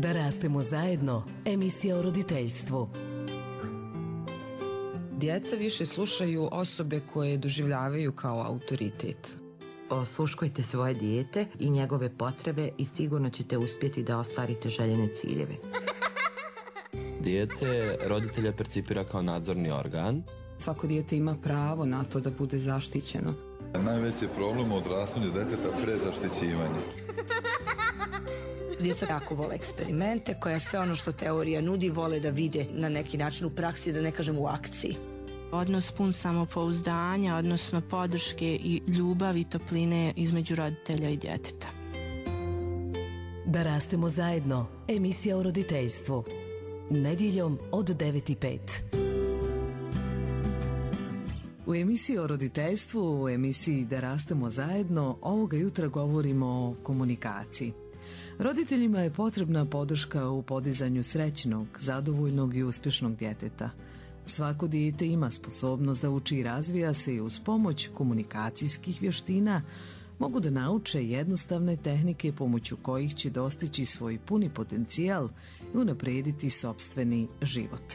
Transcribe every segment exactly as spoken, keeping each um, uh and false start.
Da rastemo zajedno, emisija o roditeljstvu. Djeca više slušaju osobe koje doživljavaju kao autoritet. Osluškujte svoje dijete i njegove potrebe i sigurno ćete uspjeti da ostvarite željene ciljeve. Dijete roditelja percipira kao nadzorni organ. Svako dijete ima pravo na to da bude zaštićeno. Najveći problem u odrastanju djeteta prezaštićivanje. Djeca jako vole eksperimente, koja sve ono što teorija nudi vole da vide na neki način u praksi, da ne kažem u akciji. Odnos pun samopouzdanja, odnosno podrške i ljubavi i topline između roditelja i djeteta. Da rastemo zajedno, emisija o roditeljstvu. Nedjeljom od devet i pet. U emisiji o roditeljstvu, u emisiji Da rastemo zajedno, ovoga jutra govorimo o komunikaciji. Roditeljima je potrebna podrška u podizanju srećnog, zadovoljnog i uspješnog djeteta. Svako dijete ima sposobnost da uči i razvija se i uz pomoć komunikacijskih vještina mogu da nauče jednostavne tehnike pomoću kojih će dostići svoj puni potencijal i unaprijediti sopstveni život.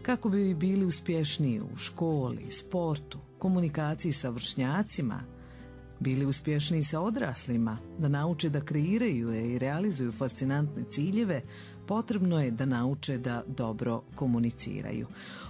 Kako bi bili uspješniji u školi, sportu, komunikaciji sa vršnjacima, bili uspješniji sa odraslima, da nauče da kreiraju i realizuju fascinantne ciljeve, potrebno je da nauče da dobro komuniciraju.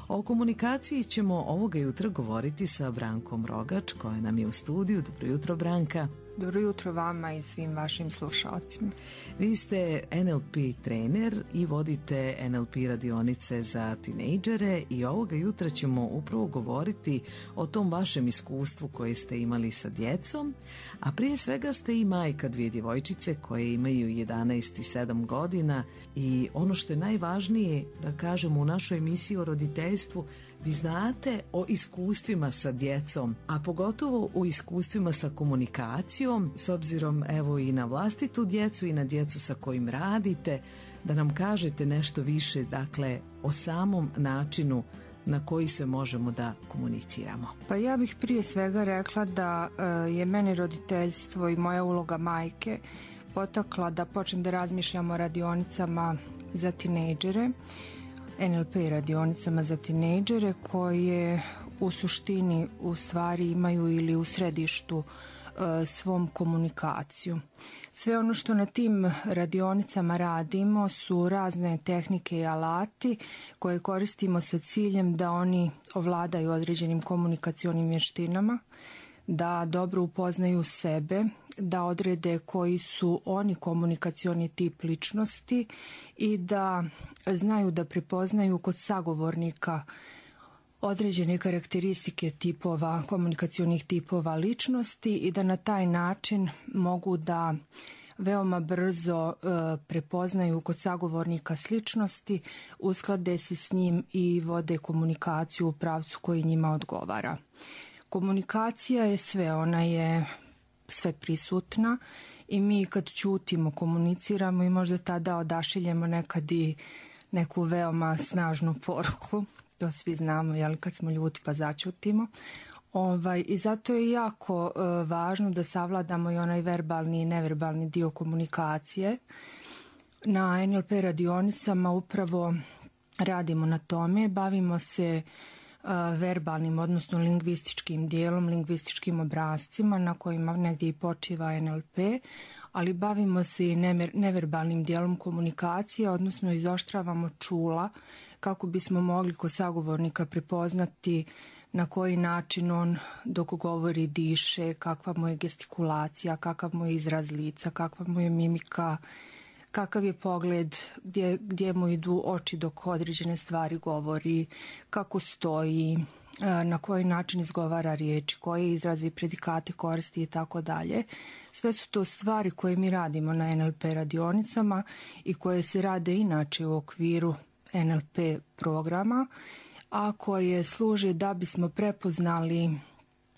O komunikaciji ćemo ovoga jutra govoriti sa Brankom Rogač, koja nam je u studiju. Dobro jutro, Branka. Dobro jutro vama i svim vašim slušalcima. Vi ste en el pe trener i vodite en el pe radionice za tinejdžere i ovoga jutra ćemo upravo govoriti o tom vašem iskustvu koje ste imali sa djecom, a prije svega ste i majka dvije djevojčice koje imaju jedanaest i sedam godina i ono što je najvažnije da kažemo u našoj emisiji o roditeljstvu, vi znate o iskustvima sa djecom, a pogotovo o iskustvima sa komunikacijom, s obzirom evo i na vlastitu djecu i na djecu sa kojim radite, da nam kažete nešto više, dakle, o samom načinu na koji sve možemo da komuniciramo. Pa ja bih prije svega rekla da uh, je meni roditeljstvo i moja uloga majke potakla da počnem da razmišljam o radionicama za tinejdžere, en el pe radionicama za tinejdžere koje u suštini u stvari imaju ili u središtu uh, svom komunikaciju. Sve ono što na tim radionicama radimo su razne tehnike i alati koje koristimo sa ciljem da oni ovladaju određenim komunikacionim vještinama, da dobro upoznaju sebe, da odrede koji su oni komunikacioni tip ličnosti i da znaju da prepoznaju kod sagovornika određene karakteristike tipova, komunikacionih tipova ličnosti i da na taj način mogu da veoma brzo e, prepoznaju kod sagovornika sličnosti, usklade se s njim i vode komunikaciju u pravcu koji njima odgovara. Komunikacija je sve, ona je sve prisutna i mi kad ćutimo komuniciramo i možda tada odašiljemo nekad i neku veoma snažnu poruku, to svi znamo, jel, kad smo ljuti pa začutimo. Ovaj, I zato je jako e, važno da savladamo i onaj verbalni i neverbalni dio komunikacije. Na en el pe radionicama upravo radimo na tome, bavimo se verbalnim, odnosno lingvističkim dijelom, lingvističkim obrascima na kojima negdje i počiva en el pe, ali bavimo se i neverbalnim dijelom komunikacije, odnosno izoštravamo čula kako bismo mogli kod sagovornika prepoznati na koji način on dok govori diše, kakva mu je gestikulacija, kakav mu je izraz lica, kakva mu je mimika, kakav je pogled, gdje, gdje mu idu oči dok određene stvari govori, kako stoji, na koji način izgovara riječi, koje izrazi i predikate koristi i tako dalje. Sve su to stvari koje mi radimo na en el pe radionicama i koje se rade inače u okviru en el pe programa, a koje služe da bismo prepoznali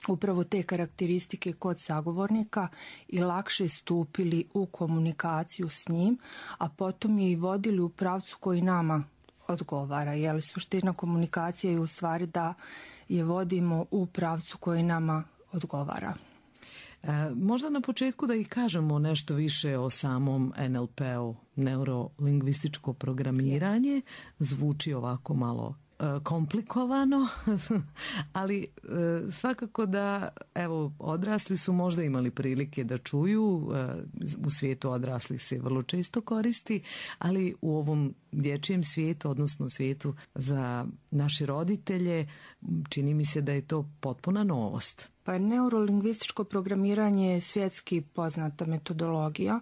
upravo te karakteristike kod sagovornika i lakše stupili u komunikaciju s njim, a potom je i vodili u pravcu koji nama odgovara. Jer suština komunikacije je u stvari da je vodimo u pravcu koji nama odgovara. Možda na početku da i kažemo nešto više o samom en el pe-u, neurolingvističko programiranje. Zvuči ovako malo komplikovano, ali svakako da, evo, odrasli su možda imali prilike da čuju, u svijetu odraslih se vrlo često koristi, ali u ovom dječjem svijetu, odnosno svijetu za naše roditelje, čini mi se da je to potpuna novost. Pa neurolingvističko programiranje je svjetski poznata metodologija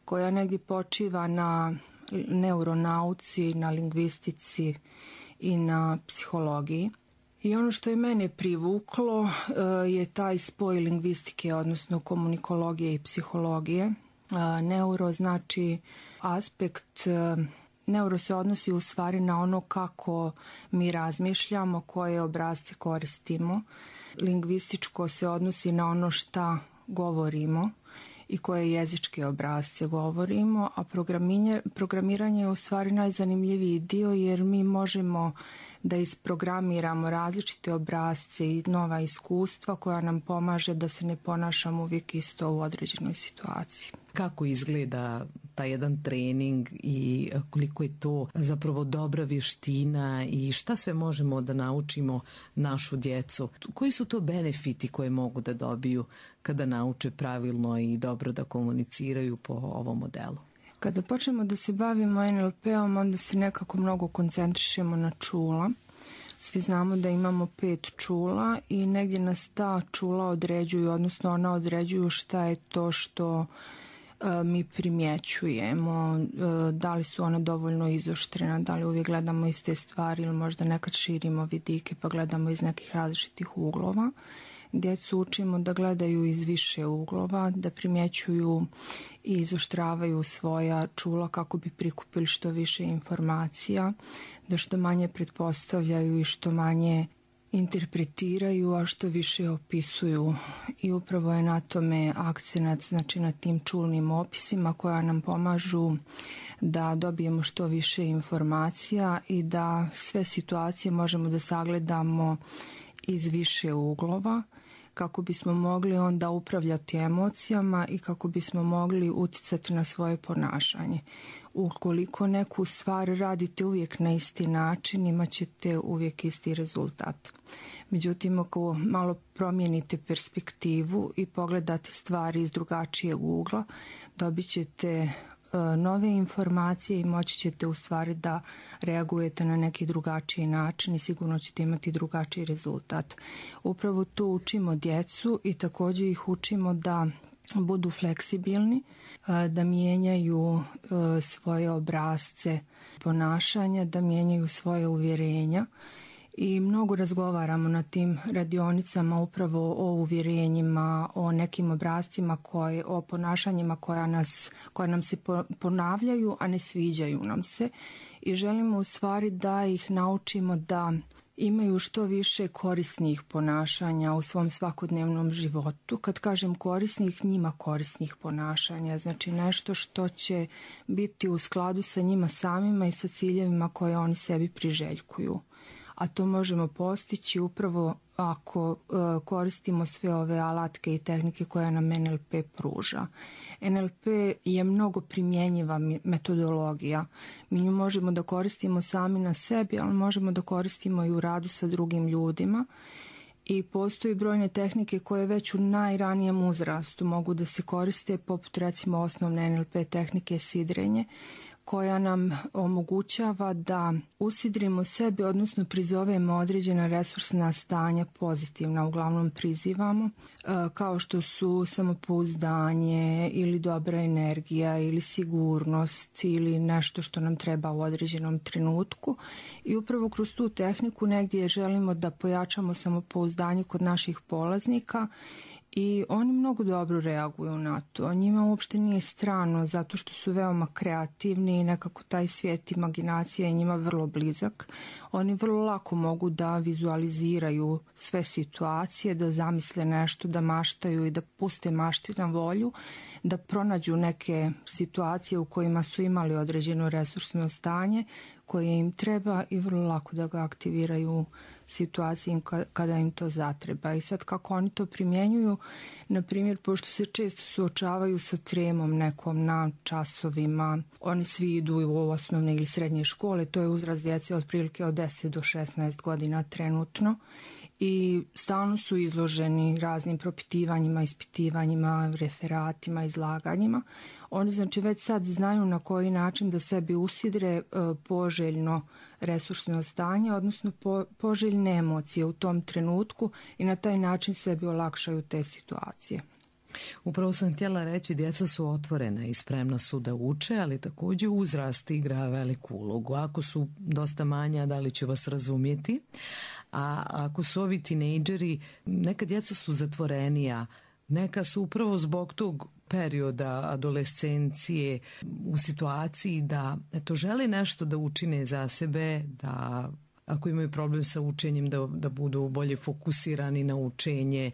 koja negdje počiva na neuronauci, na lingvistici i na psihologiji. I ono što je mene privuklo je taj spoj lingvistike, odnosno komunikologije i psihologije. Neuro znači aspekt, neuro se odnosi u stvari na ono kako mi razmišljamo, koje obrasce koristimo. Lingvističko se odnosi na ono šta govorimo i koje jezičke obrasce govorimo, a programiranje je u stvari najzanimljiviji dio jer mi možemo da isprogramiramo različite obrasce i nova iskustva koja nam pomaže da se ne ponašamo uvijek isto u određenoj situaciji. Kako izgleda taj jedan trening i koliko je to zapravo dobra vještina i šta sve možemo da naučimo našu djecu? Koji su to benefiti koje mogu da dobiju kada nauče pravilno i dobro da komuniciraju po ovom modelu? Kada počnemo da se bavimo en el pe-om, onda se nekako mnogo koncentrišemo na čula. Svi znamo da imamo pet čula i negdje nas ta čula određuju, odnosno ona određuju šta je to što e, mi primjećujemo, e, da li su ona dovoljno izoštrena, da li uvijek gledamo iste stvari ili možda nekad širimo vidike pa gledamo iz nekih različitih uglova. Djecu učimo da gledaju iz više uglova, da primjećuju i izoštravaju svoja čula kako bi prikupili što više informacija, da što manje pretpostavljaju i što manje interpretiraju, a što više opisuju. I upravo je na tome akcenat, znači na tim čulnim opisima koja nam pomažu da dobijemo što više informacija i da sve situacije možemo da sagledamo iz više uglova kako bismo mogli onda upravljati emocijama i kako bismo mogli utjecati na svoje ponašanje. Ukoliko neku stvar radite uvijek na isti način, imat ćete uvijek isti rezultat. Međutim, ako malo promijenite perspektivu i pogledate stvari iz drugačijeg ugla, dobit ćete nove informacije i moći ćete u stvari da reagujete na neki drugačiji način i sigurno ćete imati drugačiji rezultat. Upravo tu učimo djecu i također ih učimo da budu fleksibilni, da mijenjaju svoje obrasce ponašanja, da mijenjaju svoje uvjerenja. I mnogo razgovaramo na tim radionicama upravo o uvjerenjima, o nekim obrascima, koje, o ponašanjima koja, nas, koja nam se ponavljaju, a ne sviđaju nam se. I želimo u stvari da ih naučimo da imaju što više korisnih ponašanja u svom svakodnevnom životu. Kad kažem korisnih, njima korisnih ponašanja, znači nešto što će biti u skladu sa njima samima i sa ciljevima koje oni sebi priželjkuju. A to možemo postići upravo ako e, koristimo sve ove alatke i tehnike koje nam en el pe pruža. en el pe je mnogo primjenjiva metodologija. Mi nju možemo da koristimo sami na sebi, ali možemo da koristimo i u radu sa drugim ljudima. I postoji brojne tehnike koje već u najranijem uzrastu mogu da se koriste, poput recimo osnovne en el pe tehnike sidrenje, koja nam omogućava da usidrimo sebe, odnosno prizovemo određena resursna stanja pozitivna, uglavnom prizivamo, kao što su samopouzdanje ili dobra energija ili sigurnost ili nešto što nam treba u određenom trenutku. I upravo kroz tu tehniku negdje želimo da pojačamo samopouzdanje kod naših polaznika i oni mnogo dobro reaguju na to. Njima uopšte nije strano zato što su veoma kreativni i nekako taj svijet imaginacija je njima vrlo blizak. Oni vrlo lako mogu da vizualiziraju sve situacije, da zamisle nešto, da maštaju i da puste mašti na volju, da pronađu neke situacije u kojima su imali određeno resursno stanje koje im treba i vrlo lako da ga aktiviraju u situaciji kada im to zatreba. I sad kako oni to primjenjuju, na primjer, pošto se često suočavaju sa tremom nekom na časovima, oni svi idu u osnovne ili srednje škole, to je uzrast djece otprilike od deset do šesnaest godina trenutno i stalno su izloženi raznim propitivanjima, ispitivanjima, referatima, izlaganjima. Oni znači već sad znaju na koji način da sebi usidre poželjno resursno stanje, odnosno po, poželjne emocije u tom trenutku i na taj način sebi olakšaju te situacije. Upravo sam htjela reći, djeca su otvorena i spremna su da uče, ali također uzrast igra veliku ulogu. Ako su dosta manja, da li će vas razumjeti? A ako su ovi tinejdžeri, neka djeca su zatvorenija, neka su upravo zbog tog perioda adolescencije u situaciji da eto, žele nešto da učine za sebe, da ako imaju problem sa učenjem da, da budu bolje fokusirani na učenje,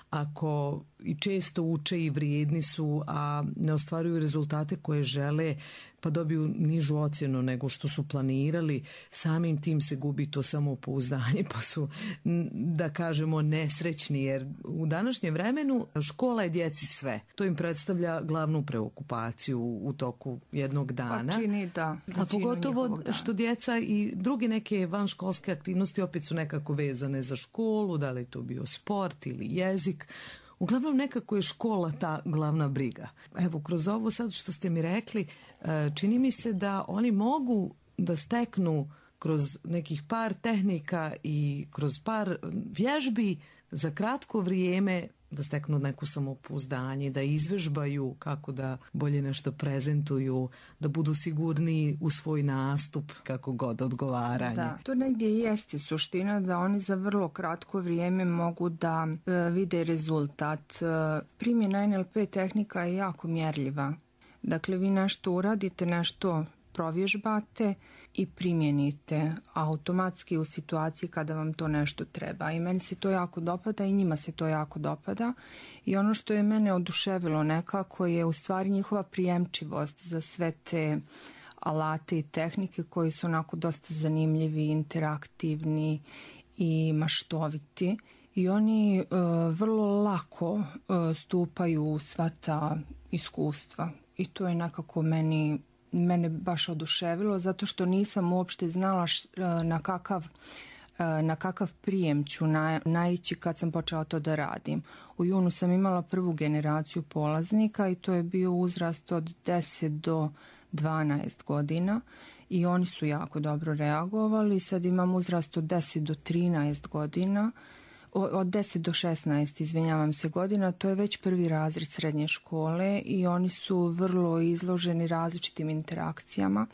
ako i često uče i vrijedni su, a ne ostvaruju rezultate koje žele, pa dobiju nižu ocjenu nego što su planirali, samim tim se gubi to samopouzdanje, pa su, da kažemo, nesrećni, jer u današnjem vremenu škola je djeci sve. To im predstavlja glavnu preokupaciju u toku jednog dana. Pa čini da. A pogotovo što djeca i druge neke vanškolske aktivnosti opet su nekako vezane za školu, da li to bio sport ili jezik. Uglavnom nekako je škola ta glavna briga. Evo, kroz ovo sad što ste mi rekli, čini mi se da oni mogu da steknu kroz nekih par tehnika i kroz par vježbi za kratko vrijeme da steknu neku samopouzdanje, da izvežbaju kako da bolje nešto prezentuju, da budu sigurniji u svoj nastup, kako god odgovaranje. Da, to negdje i jeste suština da oni za vrlo kratko vrijeme mogu da e, vide rezultat. E, primjena en el pe tehnika je jako mjerljiva. Dakle, vi nešto uradite, nešto provježbate i primjenite automatski u situaciji kada vam to nešto treba. I meni se to jako dopada i njima se to jako dopada. I ono što je mene oduševilo nekako je u stvari njihova prijemčivost za sve te alate i tehnike koji su onako dosta zanimljivi, interaktivni i maštoviti. I oni uh, vrlo lako uh, stupaju u sva ta iskustva. I to je nekako meni mene baš oduševilo zato što nisam uopšte znala š, na kakav na kakav prijem ću na, naići kad sam počela to da radim. U junu sam imala prvu generaciju polaznika i to je bio uzrast od deset do dvanaest godina i oni su jako dobro reagovali. Sad imam uzrast od deset do trinaest godina, od deset do šesnaest, izvinjavam se, godina, to je već prvi razred srednje škole i oni su vrlo izloženi različitim interakcijama,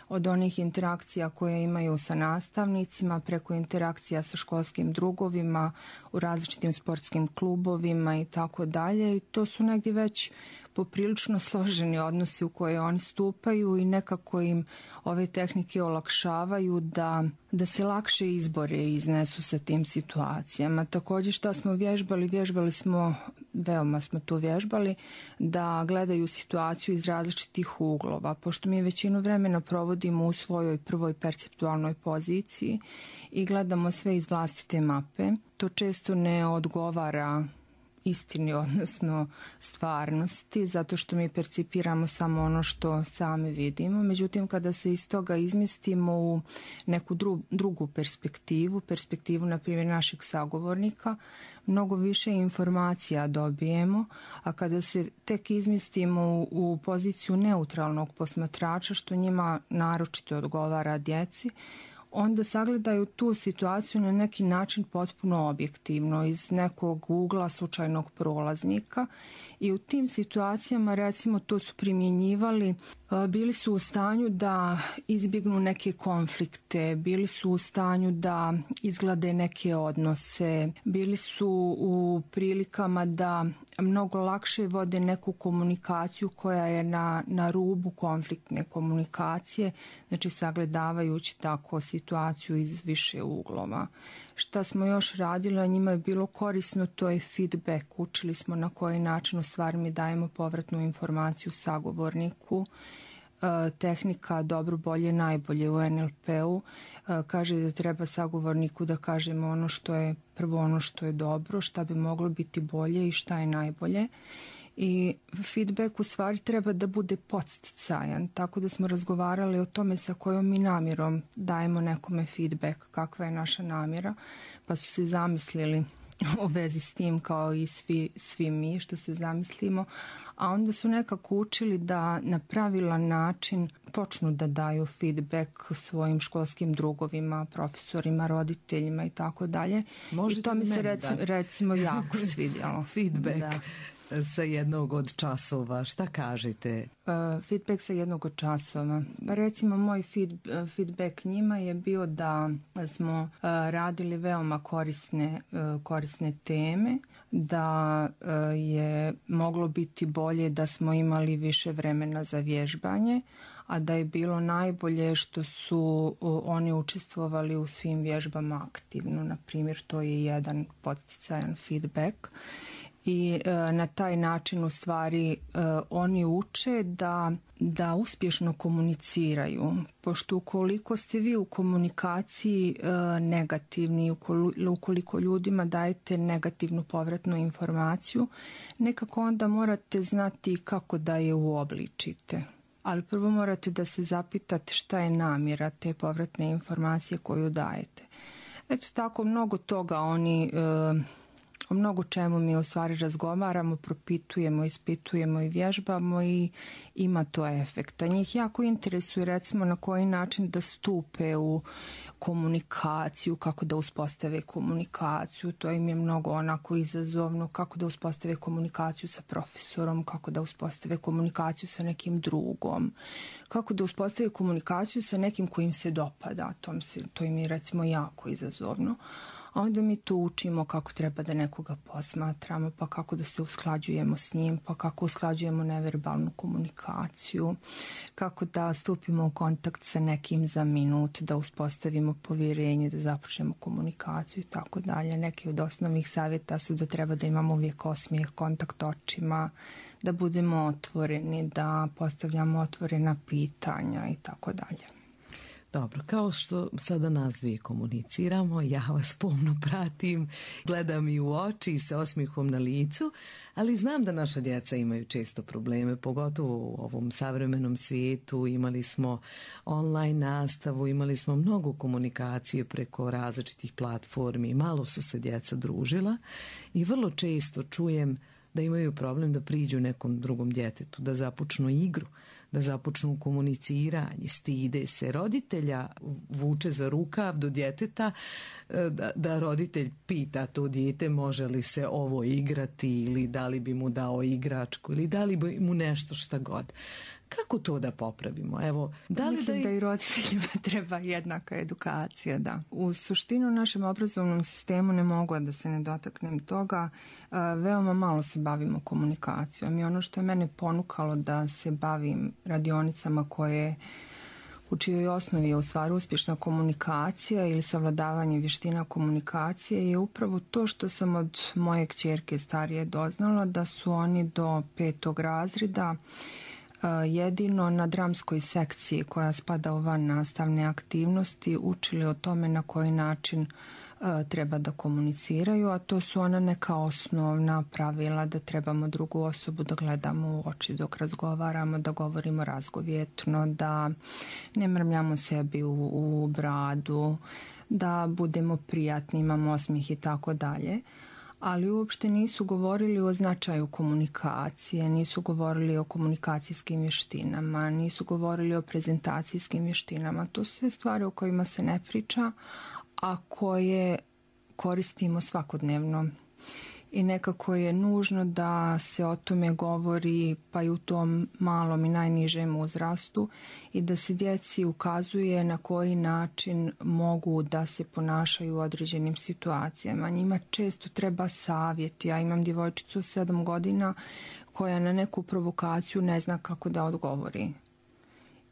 od onih interakcija koje imaju sa nastavnicima, preko interakcija sa školskim drugovima, u različitim sportskim klubovima i tako dalje. I to su negdje već poprilično složeni odnosi u koje oni stupaju i nekako im ove tehnike olakšavaju da, da se lakše izbore i iznesu sa tim situacijama. Također što smo vježbali, vježbali smo, veoma smo to vježbali, da gledaju situaciju iz različitih uglova. Pošto mi većinu vremena provodimo u svojoj prvoj perceptualnoj poziciji i gledamo sve iz vlastite mape, to često ne odgovara istini, odnosno stvarnosti, zato što mi percipiramo samo ono što sami vidimo. Međutim, kada se iz toga izmestimo u neku dru, drugu perspektivu, perspektivu, na primjer, našeg sagovornika, mnogo više informacija dobijemo, a kada se tek izmestimo u, u poziciju neutralnog posmatrača, što njima naročito odgovara djeci, onda sagledaju tu situaciju na neki način potpuno objektivno, iz nekog ugla slučajnog prolaznika i u tim situacijama, recimo, to su primjenjivali, bili su u stanju da izbjegnu neke konflikte, bili su u stanju da izglade neke odnose, bili su u prilikama da mnogo lakše vode neku komunikaciju koja je na, na rubu konfliktne komunikacije, znači sagledavajući tako situaciju iz više uglova. Šta smo još radili, a njima je bilo korisno, to je feedback. Učili smo na koji način u stvari mi dajemo povratnu informaciju sagovorniku. tehnika dobro, bolje, najbolje u en el pe-u kaže da treba sagovorniku da kažemo ono što je prvo, ono što je dobro, šta bi moglo biti bolje i šta je najbolje. I feedback u stvari treba da bude podsticajan, tako da smo razgovarali o tome sa kojom mi namjerom dajemo nekome feedback, kakva je naša namjera, pa su se zamislili u vezi s tim kao i svi, svi mi što se zamislimo, a onda su nekako učili da na pravilan način počnu da daju feedback svojim školskim drugovima, profesorima, roditeljima i tako dalje. I to mi se recimo, recimo jako svidjelo. Feedback. Da. Sa jednog od časova, šta kažete? Uh, feedback sa jednog od časova. Recimo, moj feed, uh, feedback njima je bio da smo uh, radili veoma korisne, uh, korisne teme, da uh, je moglo biti bolje da smo imali više vremena za vježbanje, a da je bilo najbolje što su uh, oni učestvovali u svim vježbama aktivno. Na primjer, to je jedan podsticajan feedback. I e, na taj način u stvari e, oni uče da, da uspješno komuniciraju. Pošto ukoliko ste vi u komunikaciji e, negativni, ukoliko ljudima dajete negativnu povratnu informaciju, nekako onda morate znati kako da je uobličite. Ali prvo morate da se zapitate šta je namjera te povratne informacije koju dajete. Eto tako, mnogo toga oni... E, O mnogo čemu mi u stvari razgovaramo, propitujemo, ispitujemo i vježbamo i ima to efekta. Njih jako interesuje recimo na koji način da stupe u komunikaciju, kako da uspostave komunikaciju, to im je mnogo onako izazovno, kako da uspostave komunikaciju sa profesorom, kako da uspostave komunikaciju sa nekim drugom, kako da uspostave komunikaciju sa nekim kojim se dopada, to, se, to im je recimo jako izazovno. A onda mi tu učimo kako treba da nekoga posmatramo, pa kako da se usklađujemo s njim, pa kako usklađujemo neverbalnu komunikaciju, kako da stupimo u kontakt sa nekim za minut, da uspostavimo povjerenje, da započnemo komunikaciju i tako dalje. Neki od osnovnih savjeta su da treba da imamo uvijek osmijeh, kontakt očima, da budemo otvoreni, da postavljamo otvorena pitanja i tako dalje. Dobro, kao što sada nas dvije komuniciramo, ja vas pomno pratim, gledam i u oči i sa osmihom na licu, ali znam da naša djeca imaju često probleme, pogotovo u ovom savremenom svijetu. Imali smo online nastavu, imali smo mnogo komunikacije preko različitih platformi, malo su se djeca družila i vrlo često čujem da imaju problem da priđu nekom drugom djetetu, da započnu igru, da započnu komuniciranje, stide se. Roditelja vuče za rukav do djeteta, da, da roditelj pita to dijete može li se ovo igrati ili da li bi mu dao igračku ili da li bi mu nešto šta god. Kako to da popravimo? Evo, da li Mislim da, da i roditeljima treba jednaka edukacija, da. U suštinu u našem obrazovnom sistemu ne mogu da se ne dotaknem toga. Veoma malo se bavimo komunikacijom i ono što je mene ponukalo da se bavim radionicama koje u čijoj osnovi je u stvari uspješna komunikacija ili savladavanje vještina komunikacije je upravo to što sam od moje kćerke starije doznala da su oni do petog razreda jedino na dramskoj sekciji koja spada u van nastavne aktivnosti učili o tome na koji način treba da komuniciraju, a to su ona neka osnovna pravila da trebamo drugu osobu da gledamo u oči dok razgovaramo, da govorimo razgovjetno, da ne mrmljamo sebi u, u bradu, da budemo prijatni, imamo osmijeh i tako dalje. Ali uopšte nisu govorili o značaju komunikacije, nisu govorili o komunikacijskim vještinama, nisu govorili o prezentacijskim vještinama. To su sve stvari o kojima se ne priča, a koje koristimo svakodnevno. I nekako je nužno da se o tome govori pa i u tom malom i najnižem uzrastu i da se djeci ukazuje na koji način mogu da se ponašaju u određenim situacijama. Njima često treba savjet. Ja imam djevojčicu sedam godina koja na neku provokaciju ne zna kako da odgovori.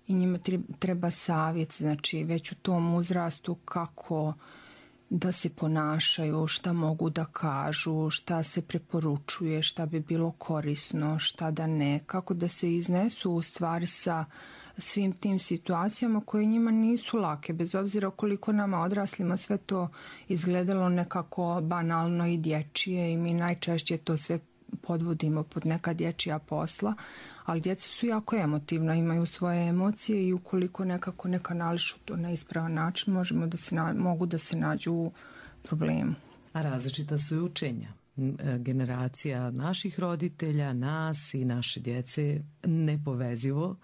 I njima treba savjet, znači već u tom uzrastu kako da se ponašaju, šta mogu da kažu, šta se preporučuje, šta bi bilo korisno, šta da ne, kako da se iznesu u stvari sa svim tim situacijama koje njima nisu lake, bez obzira koliko nama odraslima sve to izgledalo nekako banalno i dječije i mi najčešće to sve podvodimo pod neka dječja posla, ali djeca su jako emotivna, imaju svoje emocije i ukoliko nekako ne kanališu to na ispravan način, možemo da se na, mogu da se nađu u problemu. A različita su i učenja. Generacija naših roditelja, nas i naše djece nepovezivo,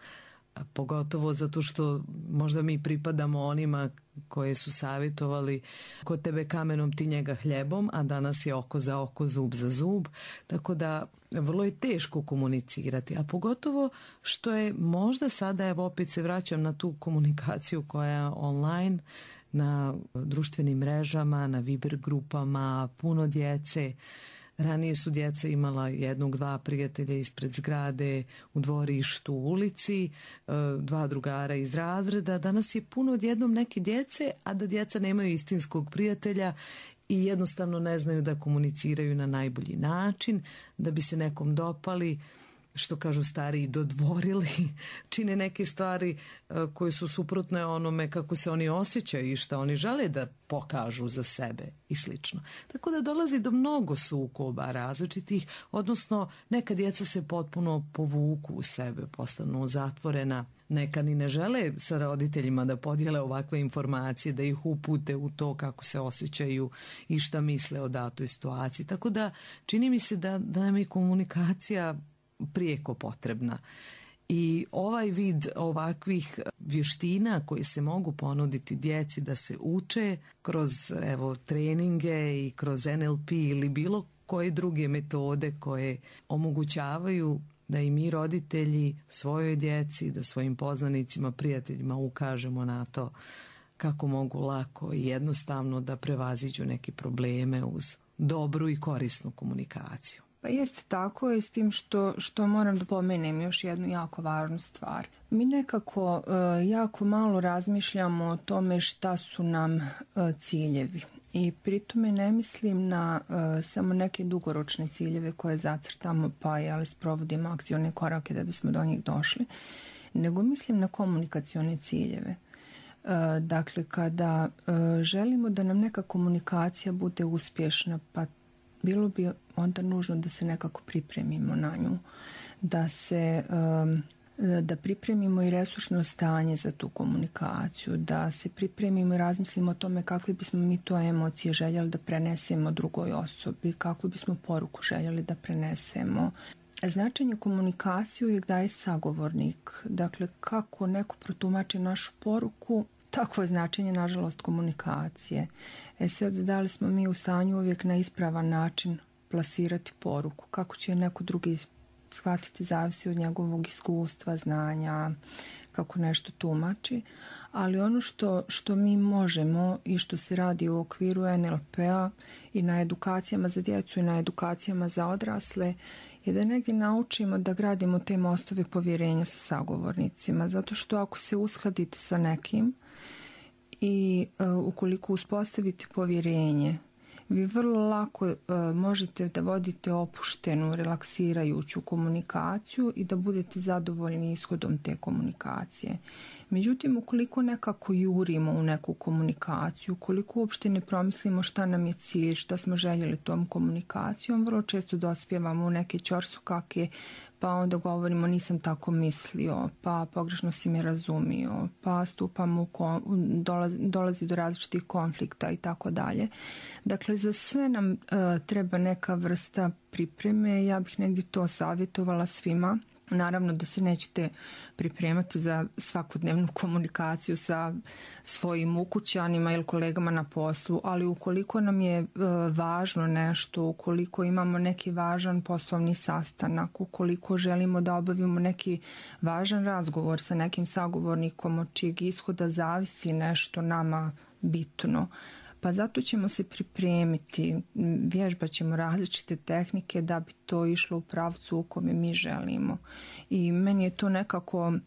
pogotovo zato što možda mi pripadamo onima koje su savjetovali kod tebe kamenom, ti njega hljebom, a danas je oko za oko, zub za zub, tako da vrlo je teško komunicirati, a pogotovo što je možda sada, evo opet se vraćam na tu komunikaciju koja je online, na društvenim mrežama, na Viber grupama, puno djece. Ranije su djeca imala jednog, dva prijatelja ispred zgrade, u dvorištu, u ulici, dva drugara iz razreda. Danas je puno odjednom neke djece, a da djeca nemaju istinskog prijatelja i jednostavno ne znaju da komuniciraju na najbolji način, da bi se nekom dopali, što kažu stariji, dodvorili, čine neke stvari koje su suprotne onome kako se oni osjećaju i šta oni žele da pokažu za sebe i slično. Tako da dolazi do mnogo sukoba različitih, odnosno neka djeca se potpuno povuku u sebe, postanu zatvorena, neka ni ne žele sa roditeljima da podijele ovakve informacije, da ih upute u to kako se osjećaju i šta misle o datoj situaciji. Tako da čini mi se da, da nam je komunikacija prijeko potrebna. I ovaj vid ovakvih vještina koji se mogu ponuditi djeci da se uče kroz evo treninge i kroz N L P ili bilo koje druge metode koje omogućavaju da i mi roditelji svojoj djeci, da svojim poznanicima, prijateljima ukažemo na to kako mogu lako i jednostavno da prevaziđu neke probleme uz dobru i korisnu komunikaciju. Pa jeste tako je s tim što, što moram da pomenem još jednu jako važnu stvar. Mi nekako uh, jako malo razmišljamo o tome šta su nam uh, ciljevi. I pritome ne mislim na uh, samo neke dugoročne ciljeve koje zacrtamo pa ali sprovodimo akcione korake da bismo do njih došli, nego mislim na komunikacione ciljeve. Uh, dakle, kada uh, želimo da nam neka komunikacija bude uspješna, pa bilo bi onda nužno da se nekako pripremimo na nju, da se um, da pripremimo i resursno stanje za tu komunikaciju, da se pripremimo i razmislimo o tome kakve bismo mi to emocije željeli da prenesemo drugoj osobi, kakvu bismo poruku željeli da prenesemo. Značenje komunikacije uvijek daje sagovornik, dakle kako neko protumači našu poruku, takvo je značenje, nažalost, komunikacije. E sad, da li smo mi u stanju uvijek na ispravan način plasirati poruku? Kako će neko drugi shvatiti, zavisi od njegovog iskustva, znanja, kako nešto tumači. Ali ono što, što mi možemo i što se radi u okviru N L P-a i na edukacijama za djecu i na edukacijama za odrasle je da negdje naučimo da gradimo te mostove povjerenja sa sagovornicima. Zato što ako se uskladite sa nekim i uh, ukoliko uspostavite povjerenje, vi vrlo lako uh, možete da vodite opuštenu, relaksirajuću komunikaciju i da budete zadovoljni ishodom te komunikacije. Međutim, ukoliko nekako jurimo u neku komunikaciju, ukoliko uopšte ne promislimo šta nam je cilj, šta smo željeli tom komunikacijom, vrlo često dospijevamo u neke ćorsokake, pa onda govorimo nisam tako mislio, pa pogrešno si me razumio, pa stupamo u kon, dolazi, dolazi do različitih konflikta i tako dalje. Dakle, za sve nam uh, treba neka vrsta pripreme. Ja bih negdje to savjetovala svima. Naravno da se nećete pripremati za svakodnevnu komunikaciju sa svojim ukućanima ili kolegama na poslu, ali ukoliko nam je e, važno nešto, ukoliko imamo neki važan poslovni sastanak, ukoliko želimo da obavimo neki važan razgovor sa nekim sagovornikom od čijeg ishoda zavisi nešto nama bitno, Pa zato ćemo se pripremiti, vježbat ćemo različite tehnike da bi to išlo u pravcu u kome mi želimo. I meni je to nekako uh,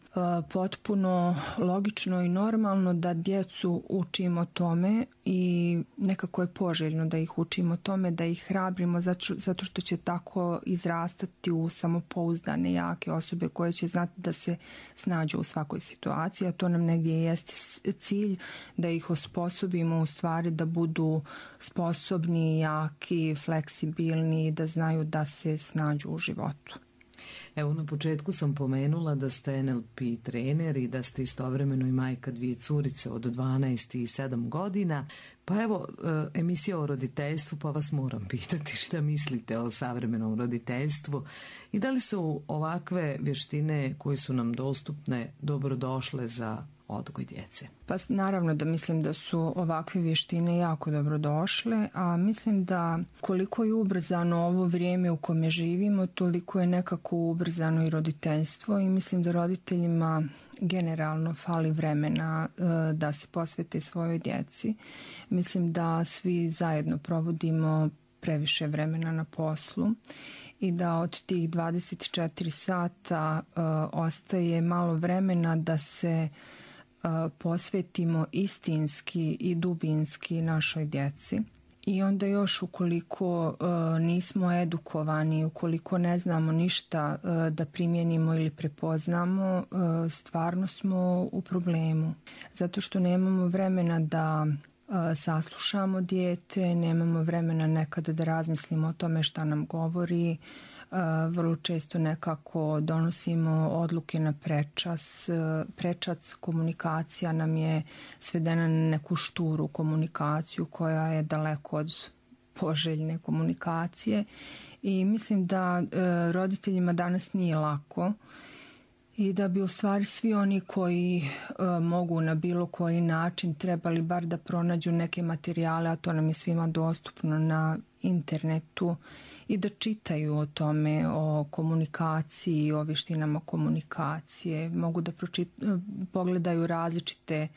potpuno logično i normalno da djecu učimo tome i nekako je poželjno da ih učimo tome, da ih hrabrimo zato, zato što će tako izrastati u samopouzdane, jake osobe koje će znati da se snađu u svakoj situaciji, a to nam negdje jeste cilj, da ih osposobimo u stvari da budu sposobni, jaki, fleksibilni, da znaju da se snađu u životu. Evo, na početku sam pomenula da ste N L P trener i da ste istovremeno i majka dvije curice od dvanaest i sedam godina. Pa evo, emisija o roditeljstvu, pa vas moram pitati šta mislite o savremenom roditeljstvu i da li su ovakve vještine koje su nam dostupne dobrodošle za odgoj djece? Pa naravno da mislim da su ovakve vještine jako dobro došle, a mislim da koliko je ubrzano ovo vrijeme u kome živimo, toliko je nekako ubrzano i roditeljstvo i mislim da roditeljima generalno fali vremena e, da se posvete svojoj djeci. Mislim da svi zajedno provodimo previše vremena na poslu i da od tih dvadeset četiri sata e, ostaje malo vremena da se posvetimo istinski i dubinski našoj djeci. I onda još ukoliko uh, nismo edukovani, ukoliko ne znamo ništa uh, da primijenimo ili prepoznamo, uh, stvarno smo u problemu. Zato što nemamo vremena da uh, saslušamo dijete, nemamo vremena nekada da razmislimo o tome šta nam govori. Uh, vrlo često nekako donosimo odluke na prečas. Uh, prečac komunikacija nam je svedena na neku šturu komunikaciju koja je daleko od poželjne komunikacije i mislim da uh, roditeljima danas nije lako i da bi u stvari svi oni koji uh, mogu na bilo koji način trebali bar da pronađu neke materijale, a to nam je svima dostupno na internetu, i da čitaju o tome, o komunikaciji, o vještinama komunikacije. Mogu da pročit, pogledaju različite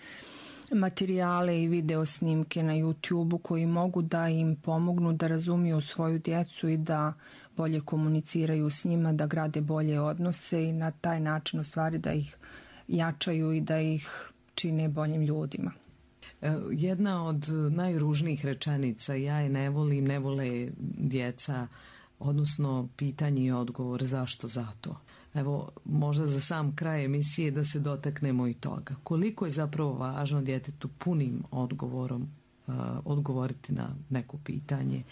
materijale i video snimke na YouTube-u koji mogu da im pomognu da razumiju svoju djecu i da bolje komuniciraju s njima, da grade bolje odnose i na taj način u stvari da ih jačaju i da ih čine boljim ljudima. Jedna od najružnijih rečenica, ja je ne volim, ne vole djeca, odnosno pitanje i odgovor zašto zato. Evo, možda za sam kraj emisije da se dotaknemo i toga. Koliko je zapravo važno djetetu punim odgovorom uh, odgovoriti na neko pitanje,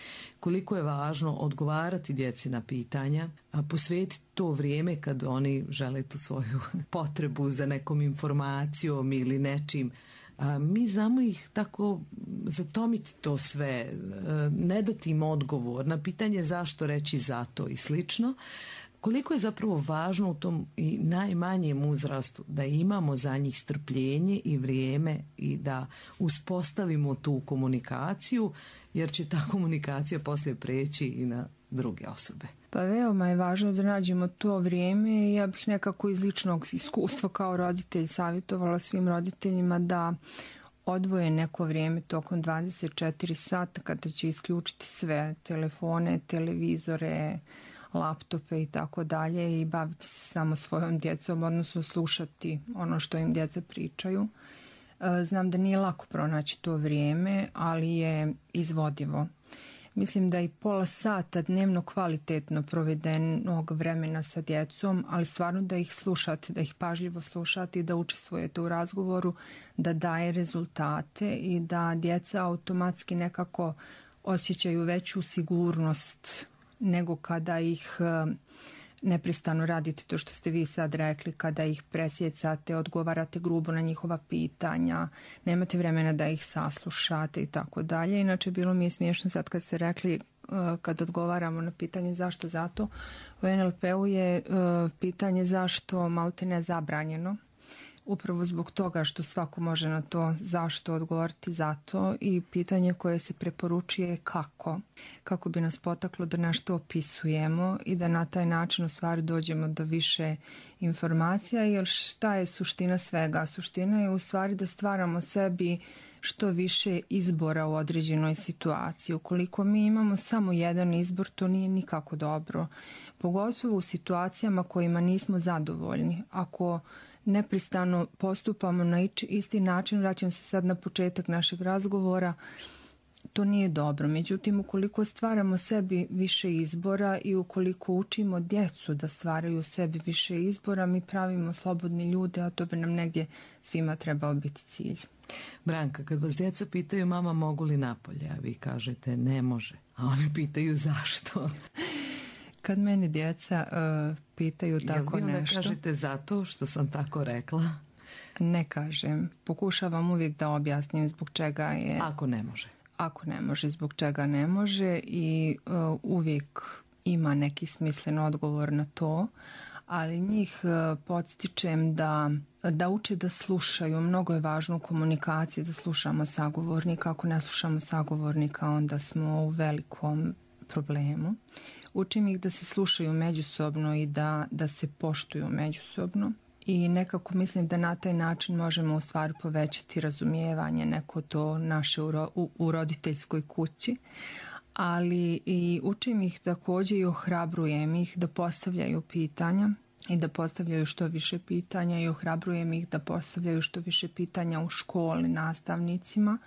koliko je važno odgovarati djeci na pitanja, a posvetiti to vrijeme kad oni žele tu svoju potrebu za nekom informacijom ili nečim. A mi znamo ih tako zatomiti to sve, ne dati im odgovor na pitanje zašto reći zato i slično. Koliko je zapravo važno u tom i najmanjem uzrastu da imamo za njih strpljenje i vrijeme i da uspostavimo tu komunikaciju, jer će ta komunikacija poslije preći i na druge osobe. Pa veoma je važno da nađemo to vrijeme i ja bih nekako iz ličnog iskustva kao roditelj savjetovala svim roditeljima da odvoje neko vrijeme tokom dvadeset četiri sata kada će isključiti sve telefone, televizore, laptope i tako dalje i baviti se samo svojom djecom, odnosno slušati ono što im djeca pričaju. Znam da nije lako pronaći to vrijeme, ali je izvodivo. Mislim da i pola sata dnevno kvalitetno provedenog vremena sa djecom, ali stvarno da ih slušate, da ih pažljivo slušate i da učestvujete u razgovoru, da daje rezultate i da djeca automatski nekako osjećaju veću sigurnost nego kada ih neprestano radite to što ste vi sad rekli, kada ih presjecate, odgovarate grubo na njihova pitanja, nemate vremena da ih saslušate i tako dalje. Inače, bilo mi je smiješno sad kad ste rekli kad odgovaramo na pitanje zašto zato. U N L P-u je pitanje zašto malte ne zabranjeno. Upravo zbog toga što svako može na to zašto odgovoriti zato i pitanje koje se preporučuje je kako. Kako bi nas potaklo da nešto opisujemo i da na taj način u stvari dođemo do više informacija, jer šta je suština svega? Suština je u stvari da stvaramo sebi što više izbora u određenoj situaciji. Ukoliko mi imamo samo jedan izbor, to nije nikako dobro. Pogotovo u situacijama kojima nismo zadovoljni. Ako nepristano postupamo na isti način, vraćam se sad na početak našeg razgovora, to nije dobro. Međutim, ukoliko stvaramo sebi više izbora i ukoliko učimo djecu da stvaraju sebi više izbora, mi pravimo slobodni ljude, a to bi nam negdje svima trebao biti cilj. Branka, kad vas djeca pitaju mama mogu li napolje, a vi kažete ne može, a oni pitaju zašto? Kad mene djeca uh, pitaju tako nešto... Jel vi onda kažete zato što sam tako rekla? Ne kažem. Pokušavam uvijek da objasnim zbog čega je... Ako ne može. Ako ne može, zbog čega ne može i uh, uvijek ima neki smislen odgovor na to, ali njih uh, podstičem da, da uče da slušaju. Mnogo je važno u komunikaciji da slušamo sagovornika. Ako ne slušamo sagovornika, onda smo u velikom problemu. Učim ih da se slušaju međusobno i da, da se poštuju međusobno. I nekako mislim da na taj način možemo u stvari povećati razumijevanje neko to naše u, ro, u, u roditeljskoj kući. Ali i učim ih također i ohrabrujem ih da postavljaju pitanja i da postavljaju što više pitanja i ohrabrujem ih da postavljaju što više pitanja u školi nastavnicima,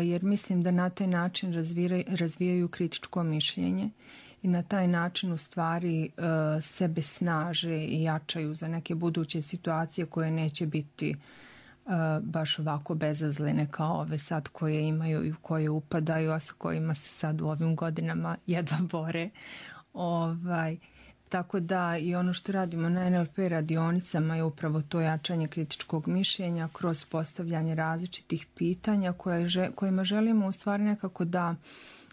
jer mislim da na taj način razvijaju, razvijaju kritičko mišljenje i na taj način u stvari uh, sebe snaže i jačaju za neke buduće situacije koje neće biti uh, baš ovako bezazlene kao ove sad koje imaju i u koje upadaju, a sa kojima se sad u ovim godinama jedva bore. Ovaj, tako da i ono što radimo na en el pe radionicama je upravo to jačanje kritičkog mišljenja kroz postavljanje različitih pitanja koje, kojima želimo u stvari nekako da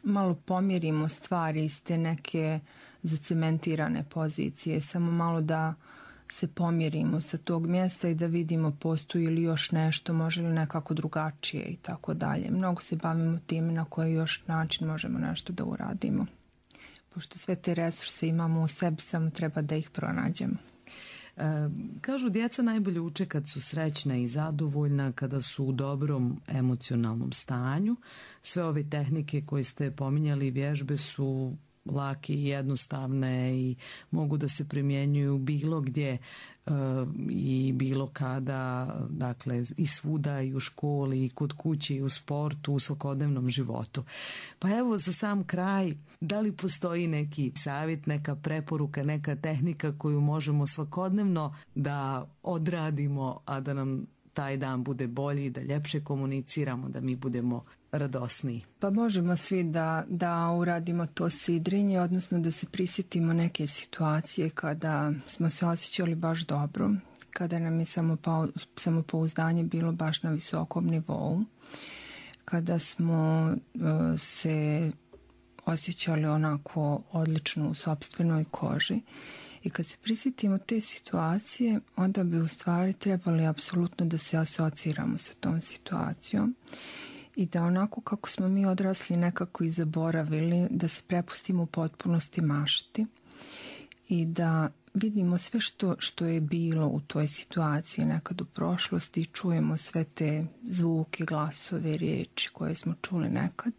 malo pomjerimo stvari iz te neke zacementirane pozicije, samo malo da se pomjerimo sa tog mjesta i da vidimo postoji li još nešto, može li nekako drugačije i tako dalje. Mnogo se bavimo time na koji još način možemo nešto da uradimo. Pošto sve te resurse imamo u sebi, samo treba da ih pronađemo. E, kažu djeca najbolje uče kad su srećna i zadovoljna, kada su u dobrom emocionalnom stanju. Sve ove tehnike koje ste pominjali, vježbe su lake i jednostavne i mogu da se primjenjuju bilo gdje e, i bilo kada, dakle i svuda, i u školi, i kod kuće, i u sportu, u svakodnevnom životu. Pa evo za sam kraj, da li postoji neki savjet, neka preporuka, neka tehnika koju možemo svakodnevno da odradimo, a da nam taj dan bude bolji, da ljepše komuniciramo, da mi budemo radosniji? Pa možemo svi da, da uradimo to sidrenje, odnosno da se prisjetimo neke situacije kada smo se osjećali baš dobro, kada nam je samopouzdanje bilo baš na visokom nivou, kada smo uh, se osjećali onako odlično u sopstvenoj koži. I kad se prisjetimo te situacije, onda bi u stvari trebali apsolutno da se asociramo sa tom situacijom i da onako kako smo mi odrasli nekako i zaboravili, da se prepustimo u potpunosti mašti i da vidimo sve što, što je bilo u toj situaciji nekad u prošlosti i čujemo sve te zvuke, glasove, riječi koje smo čuli nekad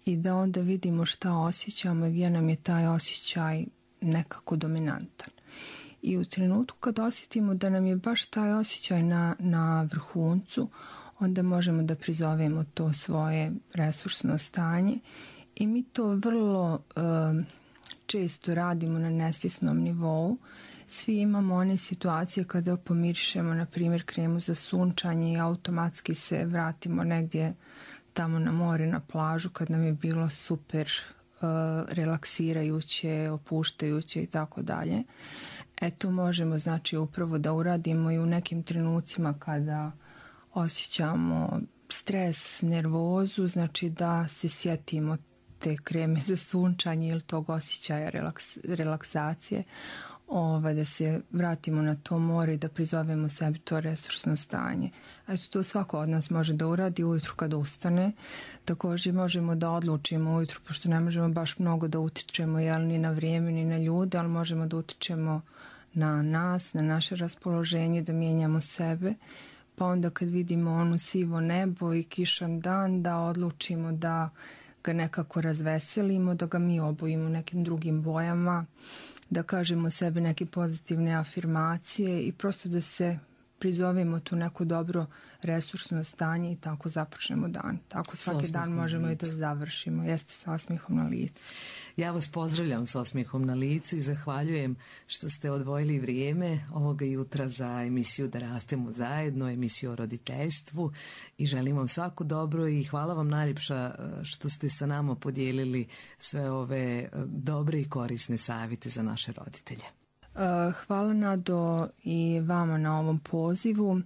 i da onda vidimo šta osjećamo i gdje nam je taj osjećaj nekako dominantan. I u trenutku kad osjetimo da nam je baš taj osjećaj na, na vrhuncu, onda možemo da prizovemo to svoje resursno stanje i mi to vrlo um, često radimo na nesvjesnom nivou. Svi imamo one situacije kada pomirišemo, na primjer, kremu za sunčanje i automatski se vratimo negdje tamo na more, na plažu, kad nam je bilo super uh, relaksirajuće, opuštajuće i tako dalje. Eto, možemo znači upravo da uradimo i u nekim trenucima kada osjećamo stres, nervozu, znači da se sjetimo te kreme za sunčanje ili tog osjećaja relaks, relaksacije, ovaj, da se vratimo na to more i da prizovemo sebi to resursno stanje. Eto, to svako od nas može da uradi ujutru kada ustane. Također možemo da odlučimo ujutru, pošto ne možemo baš mnogo da utičemo, jel, ni na vrijeme, ni na ljude, ali možemo da utičemo na nas, na naše raspoloženje, da mijenjamo sebe. pa onda kad vidimo ono sivo nebo i kišan dan, da odlučimo da ga nekako razveselimo, da ga mi obojimo nekim drugim bojama, da kažemo sebi neke pozitivne afirmacije i prosto da se prizovemo tu neko dobro resursno stanje i tako započnemo dan. Tako svaki dan možemo i da završimo. Jeste sa osmihom na licu. Ja vas pozdravljam s osmihom na licu i zahvaljujem što ste odvojili vrijeme ovoga jutra za emisiju Da rastemo zajedno, emisiju o roditeljstvu i želim vam svako dobro i hvala vam najljepša što ste sa nama podijelili sve ove dobre i korisne savjete za naše roditelje. Hvala Nado i vama na ovom pozivu.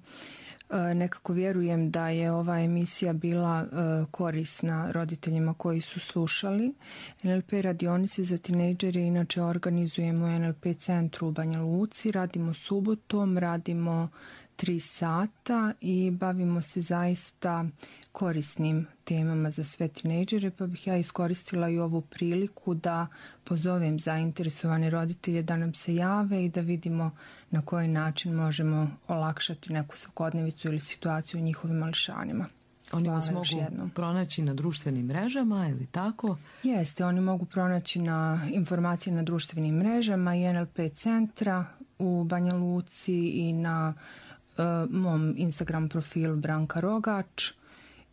Nekako vjerujem da je ova emisija bila korisna roditeljima koji su slušali. en el pe radionice za tinejdžere inače organizujemo u en el pe centru u Banja Luci. Radimo subotom, radimo tri sata i bavimo se zaista korisnim temama za sve tinejdžere, pa bih ja iskoristila i ovu priliku da pozovem zainteresovane roditelje da nam se jave i da vidimo na koji način možemo olakšati neku svakodnevicu ili situaciju u njihovim mališanima. Oni vas mogu pronaći na društvenim mrežama ili tako? Jeste, oni mogu pronaći na informacije na društvenim mrežama i en el pe centra u Banja Luci i na uh, mom Instagram profilu Branka Rogač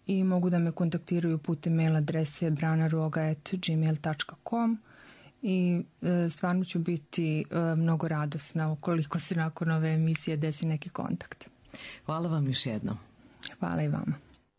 i mogu da me kontaktiraju putem mail adrese branaroga at gmail dot com i uh, stvarno ću biti uh, mnogo radosna ukoliko se nakon ove emisije desi neki kontakt. Hvala vam još jednom. Hvala i vama.